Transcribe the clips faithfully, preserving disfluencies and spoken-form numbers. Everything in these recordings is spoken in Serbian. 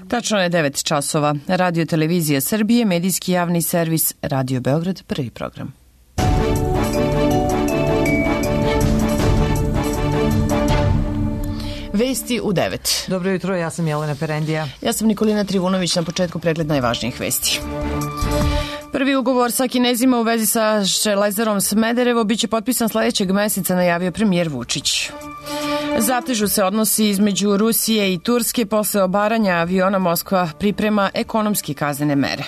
Tačno je devet časova. Radio Televizija Srbije, medijski javni servis Radio Beograd, prvi program. Vesti u devet. Dobro jutro, ja sam Jelena Perendija. Ja sam Nikolina Trivunović, na početku pregled najvažnijih vesti. Prvi ugovor sa Kinezima u vezi sa Železarom Smederevo biće potpisan sledećeg meseca, najavio premijer Vučić. Zatežu se odnosi između Rusije i Turske posle obaranja aviona. Moskva priprema ekonomski kaznene mere.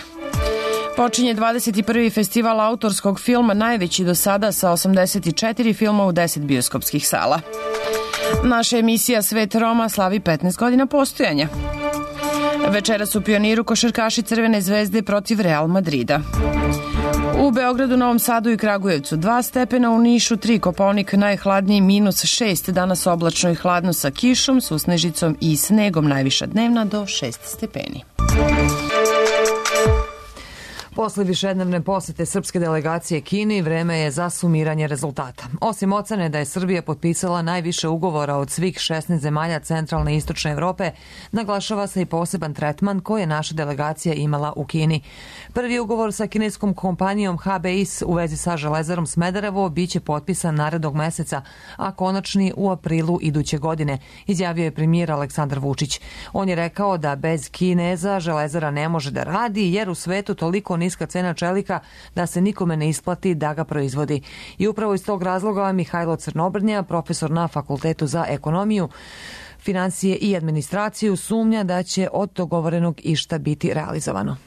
Počinje dvadeset prvi festival autorskog filma, najveći do sada, sa osamdeset četiri filma u deset bioskopskih sala. Naša emisija Svet Roma slavi petnaest godina postojanja. Večeras u Pioniru košarkaši Crvene zvezde protiv Real Madrida. U Beogradu, Novom Sadu i Kragujevcu dva stepena, u Nišu tri, Kopaonik najhladniji minus šest, danas oblačno i hladno sa kišom, susnežicom i snegom, najviša dnevna do šest stepeni. Posle višednevne posete srpske delegacije Kini, vreme je za sumiranje rezultata. Osim ocene da je Srbija potpisala najviše ugovora od svih šesnaest zemalja centralne i istočne Evrope, naglašava se i poseban tretman koji je naša delegacija imala u Kini. Prvi ugovor sa kineskom kompanijom H B I S u vezi sa Železarom Smederevo biće potpisan narednog meseca, a konačni u aprilu iduće godine, izjavio je premijer Aleksandar Vučić. On je rekao da bez Kineza Železara ne može da radi, jer u svetu toliko niska cena čelika da se nikome ne isplati da ga proizvodi. I upravo iz tog razloga Mihajlo Crnobrnja, profesor na Fakultetu za ekonomiju, finansije i administraciju, sumnja da će od dogovorenog išta biti realizovano.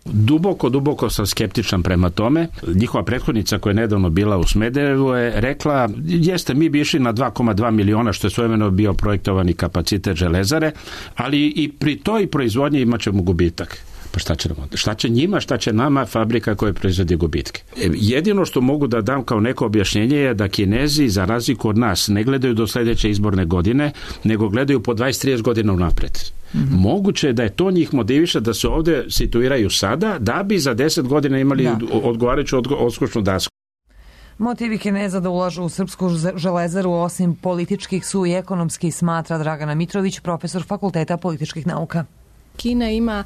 Duboko, duboko sam skeptičan prema tome. Njihova prethodnica koja je nedavno bila u Smederevu je rekla, jeste, mi bi išli na dva zarez dva miliona, što je svojevremeno bio projektovani kapacitet Železare, ali i pri toj proizvodnji imat ćemo gubitak. Pa šta će, šta će njima, šta će nama fabrika koja proizvodi gubitke? Jedino što mogu da dam kao neko objašnjenje je da Kinezi, za razliku od nas, ne gledaju do sledeće izborne godine, nego gledaju po dvadeset do trideset godina unapred. Mm-hmm. Moguće je da je to njih motiviše da se ovde situiraju sada, da bi za deset godina imali da. odgovarajuću odskočnu dasku. Motivi Kineza da ulažu u srpsku železaru osim političkih su i ekonomski, smatra Dragana Mitrović, profesor Fakulteta političkih nauka. Kina ima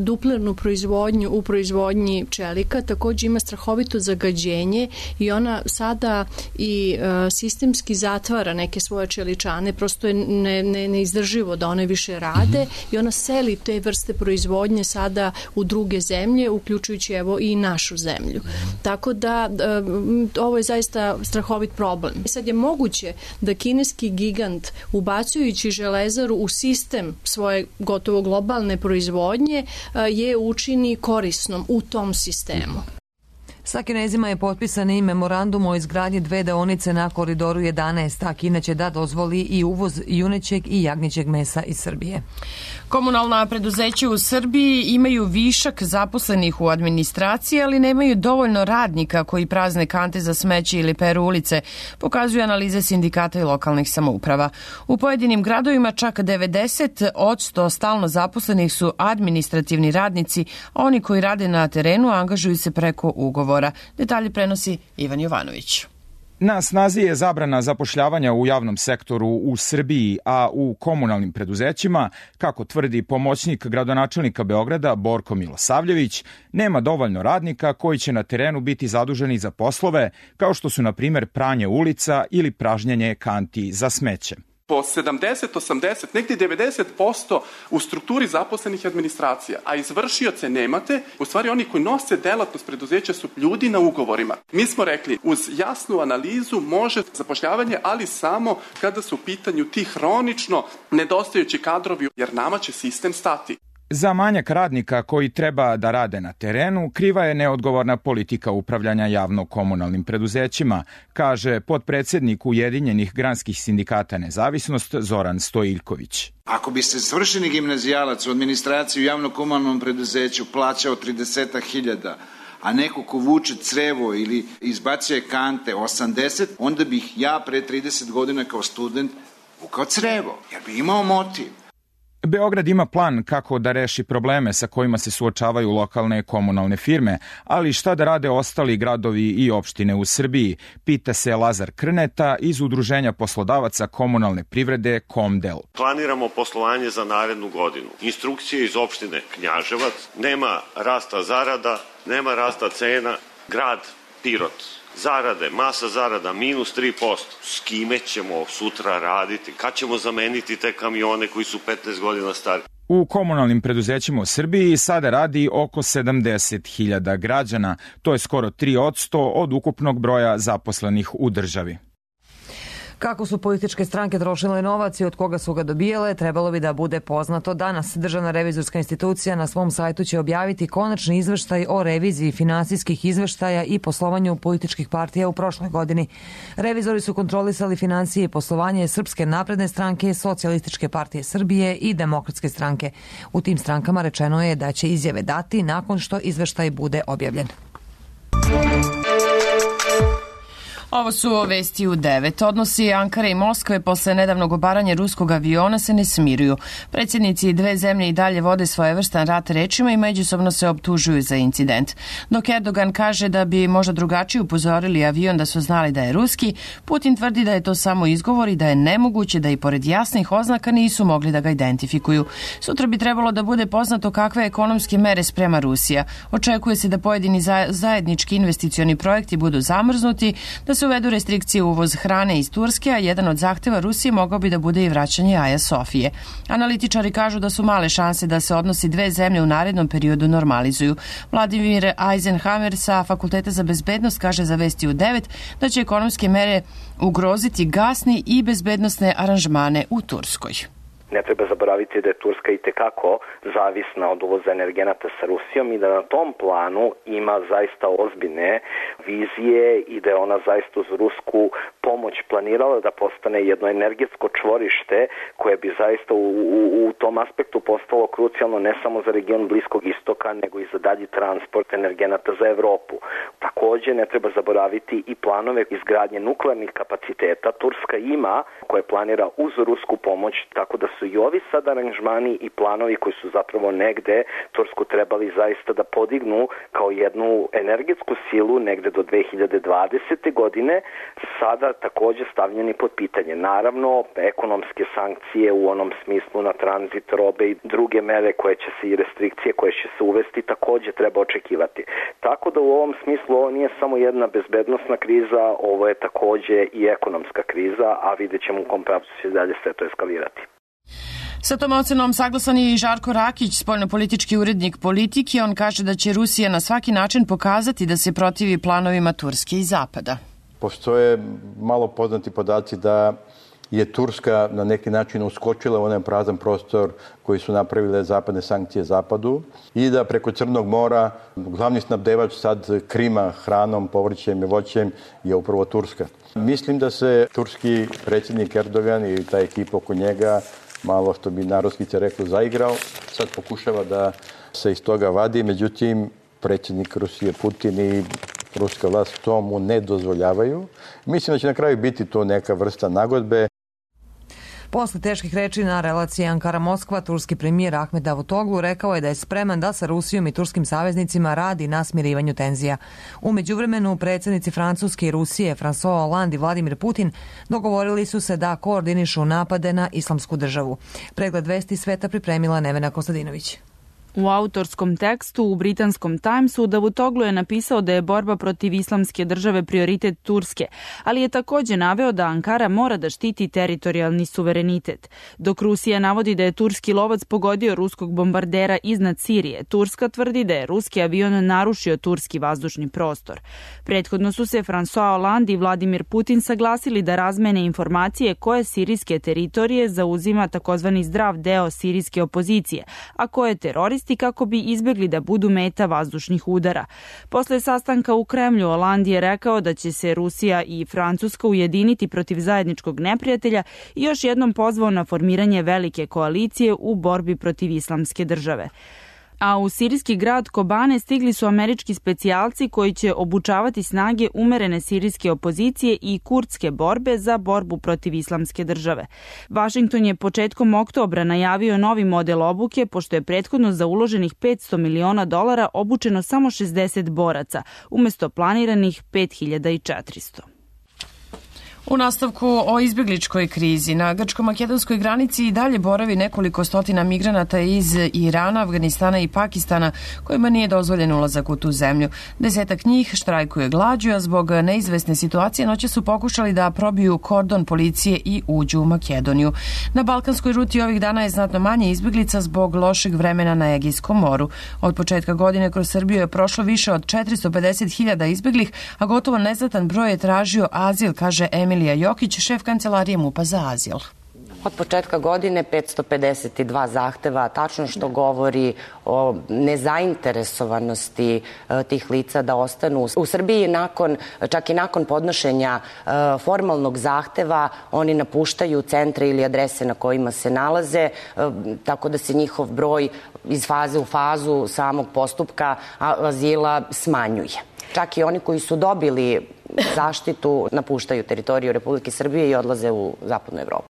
duplernu proizvodnju u proizvodnji čelika, također ima strahovito zagađenje i ona sada i sistemski zatvara neke svoje čeličane, prosto je ne, ne, neizdrživo da one više rade mm-hmm. i ona seli te vrste proizvodnje sada u druge zemlje, uključujući evo i našu zemlju. Tako da ovo je zaista strahovit problem. Sad je moguće da kineski gigant, ubacujući železaru u sistem svoje gotovo globalne proizvodnje, je učini korisnom u tom sistemu. Sa Kinezima je potpisan i memorandum o izgradnji dve deonice na koridoru jedanaest, a Kina će da dozvoli i uvoz junećeg i jagnjećeg mesa iz Srbije. Komunalna preduzeća u Srbiji imaju višak zaposlenih u administraciji, ali nemaju dovoljno radnika koji prazne kante za smeće ili peru ulice, pokazuju analize sindikata i lokalnih samouprava. U pojedinim gradovima čak devedeset posto stalno zaposlenih su administrativni radnici, a oni koji rade na terenu angažuju se preko ugovora. Detalje prenosi Ivan Jovanović. Na snazi je zabrana zapošljavanja u javnom sektoru u Srbiji, a u komunalnim preduzećima, kako tvrdi pomoćnik gradonačelnika Beograda Borko Milosavljević, nema dovoljno radnika koji će na terenu biti zaduženi za poslove, kao što su, na primjer, pranje ulica ili pražnjenje kanti za smeće. Po sedamdeset, osamdeset, negdje devedeset posto u strukturi zaposlenih administracija, a izvršioce nemate, u stvari oni koji nose delatnost preduzeća su ljudi na ugovorima. Mi smo rekli, uz jasnu analizu može zapošljavanje, ali samo kada su u pitanju ti hronično nedostajući kadrovi, jer nama će sistem stati. Za manjak radnika koji treba da rade na terenu, kriva je neodgovorna politika upravljanja javno-komunalnim preduzećima, kaže potpredsednik Ujedinjenih granskih sindikata Nezavisnost Zoran Stojiljković. Ako bi se svršeni gimnazijalac u administraciji u javno-komunalnom preduzeću plaćao trideset hiljada, a neko ko vuče crevo ili izbacuje kante osamdeset, onda bih ja pre trideset godina kao student vukao crevo, jer bi imao motiv. Beograd ima plan kako da reši probleme sa kojima se suočavaju lokalne komunalne firme, ali šta da rade ostali gradovi i opštine u Srbiji, pita se Lazar Krneta iz Udruženja poslodavaca komunalne privrede Komdel. Planiramo poslovanje za narednu godinu. Instrukcije iz opštine Knjaževac, nema rasta zarada, nema rasta cena, grad Pirot. Zarade, masa zarada, minus tri posto. S kime ćemo sutra raditi? Kad ćemo zameniti te kamione koji su petnaest godina stari? U komunalnim preduzećima u Srbiji sada radi oko sedamdeset hiljada građana. To je skoro tri posto od ukupnog broja zaposlenih u državi. Kako su političke stranke trošile novac i od koga su ga dobijale, trebalo bi da bude poznato danas. Državna revizorska institucija na svom sajtu će objaviti konačni izveštaj o reviziji finansijskih izveštaja i poslovanju političkih partija u prošloj godini. Revizori su kontrolisali finansije i poslovanje Srpske napredne stranke, Socijalističke partije Srbije i Demokratske stranke. U tim strankama rečeno je da će izjave dati nakon što izveštaj bude objavljen. Ovo su vesti u devet. Odnosi Ankare i Moskve posle nedavnog obaranja ruskog aviona se ne smiruju. Predsjednici dve zemlje i dalje vode svojevrstan rat rečima i međusobno se optužuju za incident. Dok Erdogan kaže da bi možda drugačije upozorili avion da su znali da je ruski, Putin tvrdi da je to samo izgovor i da je nemoguće da i pored jasnih oznaka nisu mogli da ga identifikuju. Sutra bi trebalo da bude poznato kakve ekonomske mere sprema Rusija. Očekuje se da pojedini zajednički investicioni projekti budu zamrznuti, da se uvedu restrikcije u uvoz hrane iz Turske, a jedan od zahteva Rusije mogao bi da bude i vraćanje Aja Sofije. Analitičari kažu da su male šanse da se odnosi dve zemlje u narednom periodu normalizuju. Vladimir Eisenhammer sa Fakulteta za bezbednost kaže za vesti u devet da će ekonomske mere ugroziti gasni i bezbednosne aranžmane u Turskoj. Ne treba zaboraviti da je Turska i tekako zavisna od uvoza energenata sa Rusijom i da na tom planu ima zaista ozbiljne vizije i da je ona zaista uz rusku pomoć planirala da postane jedno energetsko čvorište koje bi zaista u, u, u tom aspektu postalo krucijalno ne samo za region Bliskog istoka nego i za dalji transport energenata za Evropu. Takođe ne treba zaboraviti i planove izgradnje nuklearnih kapaciteta. Turska ima koje planira uz rusku pomoć, tako da su i ovi sad aranžmani i planovi koji su zapravo negde Tursku trebali zaista da podignu kao jednu energetsku silu negde do dve hiljade dvadesete godine, sada takođe stavljeni pod pitanje. Naravno, ekonomske sankcije u onom smislu na tranzit robe i druge mere koje će se i restrikcije koje će se uvesti takođe treba očekivati. Tako da u ovom smislu ovo nije samo jedna bezbednosna kriza, ovo je takođe i ekonomska kriza, a vidjet ćemo u kom pravcu će dalje sve to eskalirati. Sa tom ocenom saglasan je i Žarko Rakić, spoljnopolitički urednik Politike. On kaže da će Rusija na svaki način pokazati da se protivi planovima Turske i Zapada. Postoje malo poznati podaci da je Turska na neki način uskočila u onaj prazan prostor koji su napravile zapadne sankcije Zapadu i da preko Crnog mora glavni snabdevač sad Krima hranom, povrćem i voćem je upravo Turska. Mislim da se turski predsjednik Erdogan i ta ekipa oko njega malo, što bi narodskice reklo, zaigrao. Sad pokušava da se iz toga vadi, međutim predsjednik Rusije Putin i ruska vlast to mu ne dozvoljavaju. Mislim da će na kraju biti to neka vrsta nagodbe. Posle teških reči na relaciji Ankara-Moskva, turski premijer Ahmed Davutoglu rekao je da je spreman da sa Rusijom i turskim saveznicima radi na smirivanju tenzija. U međuvremenu, predsjednici Francuske i Rusije, François Hollande i Vladimir Putin, dogovorili su se da koordinišu napade na islamsku državu. Pregled vesti sveta pripremila Nevena Kostadinović. U autorskom tekstu u britanskom Timesu Davutoglu je napisao da je borba protiv islamske države prioritet Turske, ali je takođe naveo da Ankara mora da štiti teritorijalni suverenitet. Dok Rusija navodi da je turski lovac pogodio ruskog bombardera iznad Sirije, Turska tvrdi da je ruski avion narušio turski vazdušni prostor. Prethodno su se François Hollande i Vladimir Putin saglasili da razmene informacije koje sirijske teritorije zauzima takozvani zdrav deo sirijske opozicije, a koje teroristi kako bi izbjegli da budu meta vazdušnih udara. Posle sastanka u Kremlju, Hollande je rekao da će se Rusija i Francuska ujediniti protiv zajedničkog neprijatelja i još jednom pozvao na formiranje velike koalicije u borbi protiv islamske države. A u sirijski grad Kobane stigli su američki specijalci koji će obučavati snage umerene sirijske opozicije i kurdske borbe za borbu protiv islamske države. Vašington je početkom oktobra najavio novi model obuke, pošto je prethodno za uloženih petsto miliona dolara obučeno samo šezdeset boraca, umesto planiranih pet hiljada četiristo. U nastavku o izbjegličkoj krizi na grčko-makedonskoj granici i dalje boravi nekoliko stotina migranata iz Irana, Afganistana i Pakistana kojima nije dozvoljen ulazak u tu zemlju. Desetak njih štrajkuje glađu, a zbog neizvesne situacije noće su pokušali da probiju kordon policije i uđu u Makedoniju. Na balkanskoj ruti ovih dana je znatno manje izbjeglica zbog lošeg vremena na Egejskom moru. Od početka godine kroz Srbiju je prošlo više od četiristo pedeset hiljada izbjeglih, a gotovo neznatan broj je tražio azil, kaže Emil Emilija Jokić, šef kancelarije MUP-a za azil. Od početka godine petsto pedeset dva zahteva, tačno što govori o nezainteresovanosti tih lica da ostanu u Srbiji. Nakon, čak i nakon podnošenja formalnog zahteva, oni napuštaju centre ili adrese na kojima se nalaze, tako da se njihov broj iz faze u fazu samog postupka azila smanjuje. Čak i oni koji su dobili zaštitu napuštaju teritoriju Republike Srbije i odlaze u zapadnu Evropu.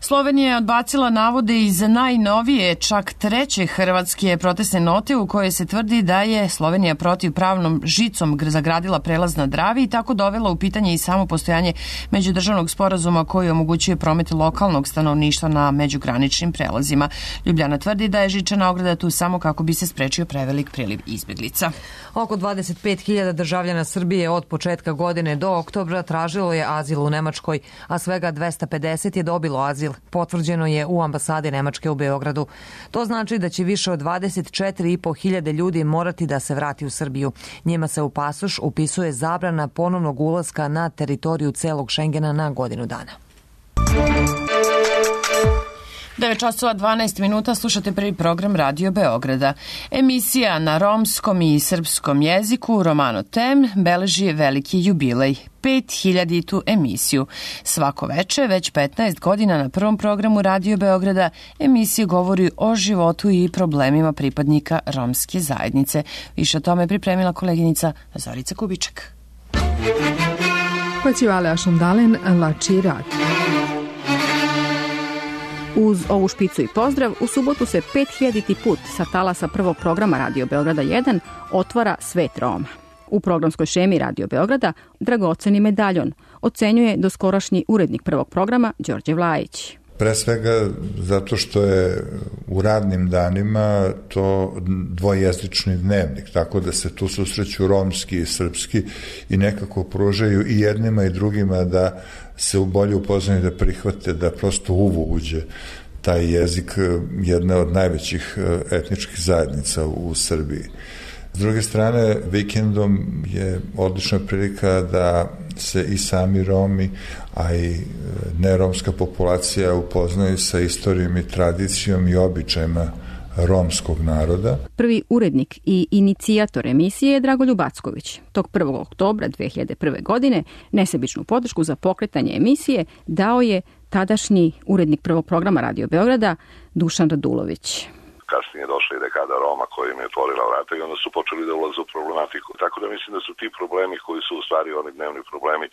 Slovenija je odbacila navode iz najnovije, čak treće hrvatske protestne note u kojoj se tvrdi da je Slovenija protivpravnom žicom zagradila prelaz na Dravi i tako dovela u pitanje i samo postojanje međudržavnog sporazuma koji omogućuje promet lokalnog stanovništva na međugraničnim prelazima. Ljubljana tvrdi da je žičana ograda tu samo kako bi se sprečio prevelik priliv izbjeglica. Oko dvadeset pet hiljada državljana Srbije od početka godine do oktobra tražilo je azil u Nemačkoj, a svega dvesta pedeset je dobilo azil. Potvrđeno je u ambasadi Nemačke u Beogradu. To znači da će više od dvadeset četiri i po hiljade ljudi morati da se vrati u Srbiju. Njima se u pasoš upisuje zabrana ponovnog ulaska na teritoriju celog Šengena na godinu dana. devet časova dvanaest minuta, slušate prvi program Radio Beograda. Emisija na romskom i srpskom jeziku Romano Tem beleži veliki jubilej, pet hiljaditu emisiju. Svako veče, već petnaest godina na prvom programu Radio Beograda, emisija govori o životu i problemima pripadnika romske zajednice. Više o tome pripremila koleginica Zorica Kubiček. Paćivale Ašundalen, Lači Rad. Uz ovu špicu i pozdrav, u subotu se pet hiljaditi put sa talasa prvog programa Radio Beograda jedan otvara Svet Roma. U programskoj šemi Radio Beograda dragoceni medaljon ocenjuje doskorašnji urednik prvog programa Đorđe Vlajić. Pre svega zato što je u radnim danima to dvojezični dnevnik, tako da se tu susreću romski i srpski i nekako pružaju i jednima i drugima da se bolje upoznaju, da prihvate, da prosto uvu uđe taj jezik jedne od najvećih etničkih zajednica u Srbiji. S druge strane, vikendom je odlična prilika da se i sami Romi, a i neromska populacija upoznaju sa istorijom i tradicijom i običajima romskog naroda. Prvi urednik i inicijator emisije je Dragoljub Acković. Tog prvog oktobra dve hiljade prve. godine nesebičnu podršku za pokretanje emisije dao je tadašnji urednik prvog programa Radio Beograda Dušan Radulović. Kasnije došla i dekada Roma koja im je otvorila vrata i onda su počeli da ulaze u problematiku. Tako da mislim da su ti problemi koji su u stvari oni dnevni problemi e,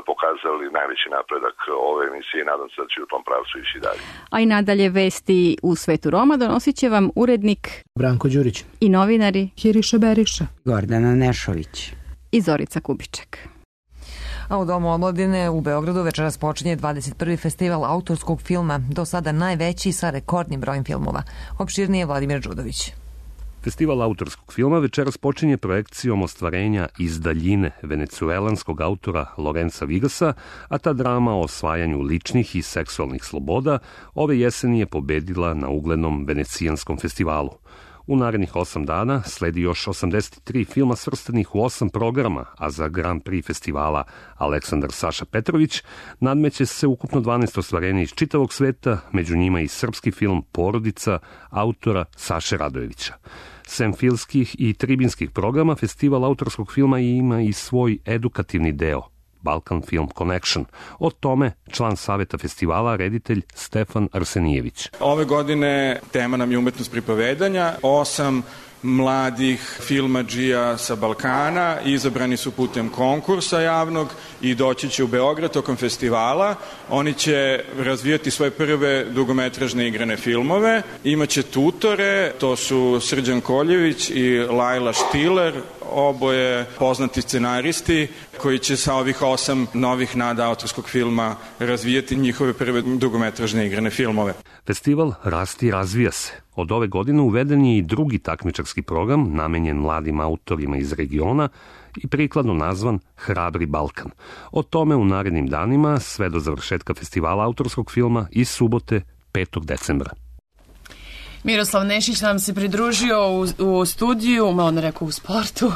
pokazali najveći napredak ove emisije i nadam se da će u tom pravcu ići dalje. A i nadalje vesti u svetu Roma donosit će vam urednik Branko Đurić i novinari Hiriša Beriša, Gordana Nešović i Zorica Kubiček. A u Domu omladine u Beogradu večeras počinje dvadeset prvi festival autorskog filma, do sada najveći sa rekordnim brojem filmova. Opširnije Vladimir Đudović. Festival autorskog filma večeras počinje projekcijom ostvarenja Iz daljine venecuelanskog autora Lorenza Vigasa, a ta drama o osvajanju ličnih i seksualnih sloboda ove jeseni je pobedila na uglednom venecijanskom festivalu. U narednih osam dana sledi još osamdeset tri filma svrstanih u osam programa, a za Grand Prix festivala Aleksandar Saša Petrović nadmeće se ukupno dvanaest ostvarenja iz čitavog sveta, među njima i srpski film Porodica autora Saše Radojevića. Sem filmskih i tribinskih programa, festival autorskog filma ima i svoj edukativni deo, Balkan Film Connection. O tome član saveta festivala, reditelj Stefan Arsenijević. Ove godine tema nam je umetnost pripovedanja. Osam mladih filmadžija sa Balkana izabrani su putem konkursa javnog i doći će u Beograd tokom festivala. Oni će razvijati svoje prve dugometražne igrane filmove. Imaće tutore, to su Srđan Koljević i Lajla Štiler, oboje poznati scenaristi koji će sa ovih osam novih nada autorskog filma razvijati njihove prve dugometražne igrane filmove. Festival Rasti i razvija se. Od ove godine uveden je i drugi takmičarski program namenjen mladim autorima iz regiona i prikladno nazvan Hrabri Balkan. O tome u narednim danima sve do završetka festivala autorskog filma iz subote petog decembra. Miroslav Nešić nam se pridružio u, u studiju, malo ne rekao u sportu,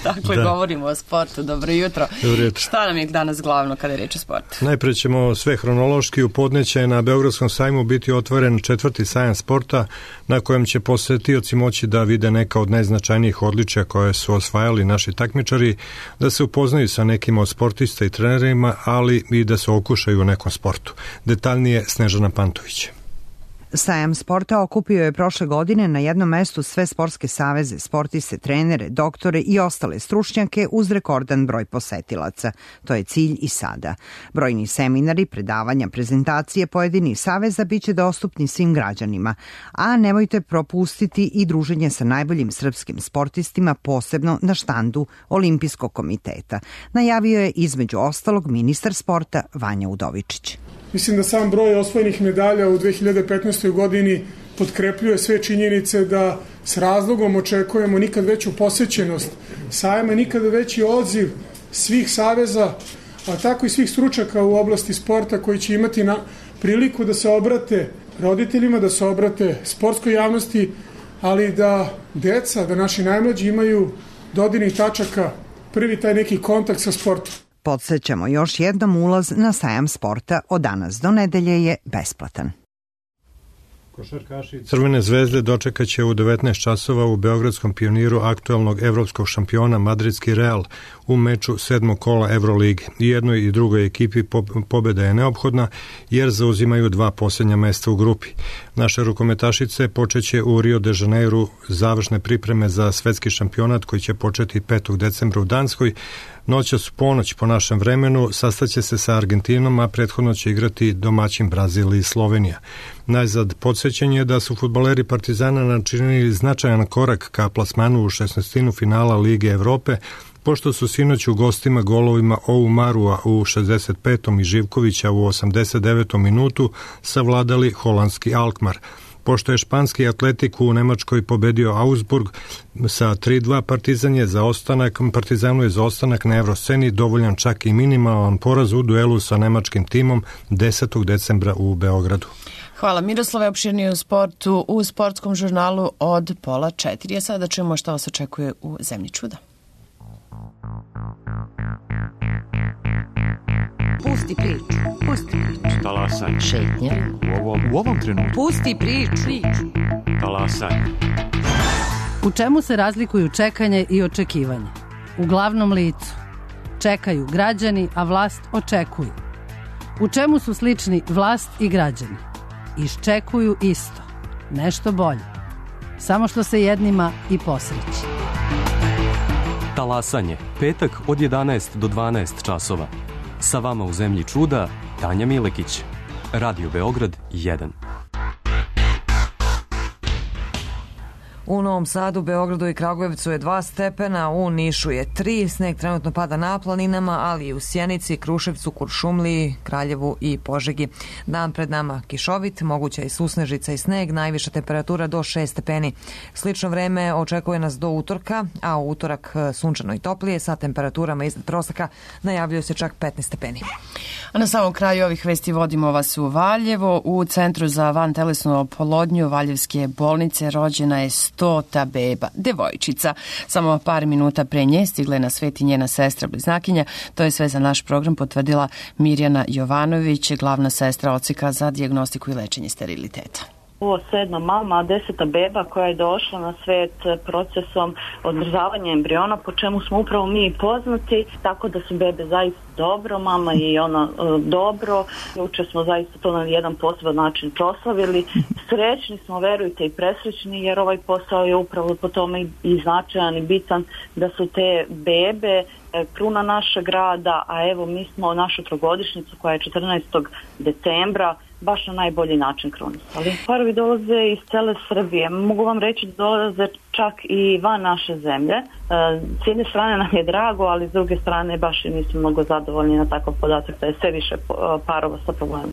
dakle da. Govorimo o sportu, dobro jutro. Dobro jutro. Šta nam je danas glavno kada je reč o sportu? Najpre ćemo sve hronološki. U podneće na Beogradskom sajmu biti otvoren četvrti sajam sporta na kojem će posetioci moći da vide neka od najznačajnijih odličja koje su osvajali naši takmičari, da se upoznaju sa nekim od sportista i trenerima, ali i da se okušaju u nekom sportu. Detaljnije Snežana Pantović. Sajam sporta okupio je prošle godine na jednom mestu sve sportske saveze, sportiste, trenere, doktore i ostale stručnjake uz rekordan broj posetilaca. To je cilj i sada. Brojni seminari, predavanja, prezentacije pojedinih saveza biće dostupni svim građanima, a nemojte propustiti i druženje sa najboljim srpskim sportistima, posebno na štandu Olimpijskog komiteta. Najavio je između ostalog ministar sporta Vanja Udovičić. Mislim da sam broj osvojenih medalja u dve hiljade petnaestoj. godini potkrepljuje sve činjenice da s razlogom očekujemo nikad veću posećenost sajma, nikad veći odziv svih saveza, a tako i svih stručaka u oblasti sporta koji će imati na priliku da se obrate roditeljima, da se obrate sportskoj javnosti, ali da deca, da naši najmlađi imaju dodirnih tačaka, prvi taj neki kontakt sa sportom. Podsećamo još jednom, ulaz na sajam sporta od danas do nedelje je besplatan. Košarkaši Crvene zvezde dočekaće u devetnaest časova u Beogradskom Pioniru aktuelnog evropskog šampiona Madridski Real u meču sedmog kola Evrolige. I jednoj i drugoj ekipi pobeda je neophodna jer zauzimaju dva posljednja mesta u grupi. Naše rukometašice počeće u Rio de Janeiru završne pripreme za svetski šampionat koji će početi petog decembra u Danskoj. Noćas ponoć po našem vremenu sastaće se sa Argentinom, a prethodno će igrati domaćin Brazil i Slovenija. Najzad podsjećanje je da su fudbaleri Partizana načinili značajan korak ka plasmanu u šesnaestinu finala Lige Evrope, pošto su sinoć u gostima golovima Oumarua u šezdeset petom i Živkovića u osamdeset devetom minutu savladali holandski Alkmaar. Pošto je španski Atletik u Nemačkoj pobedio Augsburg sa tri dva, Partizan je za ostanak, Partizanu je za ostanak na Evrosceni dovoljan čak i minimalan poraz u duelu sa nemačkim timom desetog decembra u Beogradu. Hvala Miroslave, opširnije u sportu u sportskom žurnalu od pola četiri. A sada čujemo šta vas očekuje u Zemlji čuda. Pusti priču, pusti priču. Talasaj. Šetnja. U ovom, u ovom trenutku. Pusti priču. Talasaj. U čemu se razlikuju čekanje i očekivanje? U glavnom licu. Čekaju građani, a vlast očekuju. U čemu su slični vlast i građani? Iščekuju isto. Nešto bolje. Samo što se jednima i posreći. Talasanje. Petak od jedanaest do dvanaest časova. Sa vama u Zemlji čuda, Tanja Milekić. Radio Beograd jedan. U Novom Sadu, Beogradu i Kragujevcu je dva stepena, u Nišu je tri, sneg trenutno pada na planinama, ali i u Sjenici, Kruševcu, Kuršumliji, Kraljevu i Požegi. Dan pred nama kišovit, moguća i susnežica i sneg, najviša temperatura do šest stepeni. Slično vreme očekuje nas do utorka, a u utorak sunčano i toplije sa temperaturama iznad proseka, najavljaju se čak petnaest stepeni. A na samom kraju ovih vesti vodimo vas u Valjevo. U Centru za vantelesnu oplodnju Valjevske bolnice rođena je stota beba, devojčica. Samo par minuta pre nje stigla je na svet i njena sestra bliznakinja. To je sve za naš program potvrdila Mirjana Jovanović, glavna sestra odseka za dijagnostiku i lečenje steriliteta. Ovo sedma mama, deseta beba koja je došla na svet procesom odmrzavanja embriona, po čemu smo upravo mi poznati, tako da su bebe zaista dobro, mama i ona dobro. Juče smo zaista to na jedan poseban način proslavili. Srećni smo, verujte, i presrećni, jer ovaj posao je upravo po tome i značajan i bitan, da su te bebe kruna našeg rada, a evo mi smo našu trogodišnjicu koja je četrnaestog decembra baš na najbolji način krunisali. Parovi dolaze iz cele Srbije. Mogu vam reći da dolaze čak i van naše zemlje. S jedne strane nam je drago, ali s druge strane baš i nismo mnogo zadovoljni na takav podatak da je sve više parova sa problemom.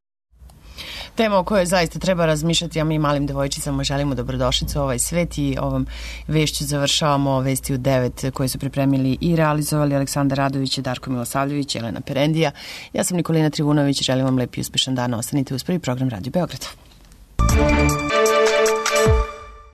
Tema o kojoj zaista treba razmišljati, a mi malim devojčicama želimo dobrodošlicu u ovaj svet i ovom vešću završavamo vesti u devet koje su pripremili i realizovali Aleksandar Radović, Darko Milosavljević, Jelena Perendija. Ja sam Nikolina Trivunović, želim vam lep i uspešan dan. Ostanite uz prvi program Radio Beograda.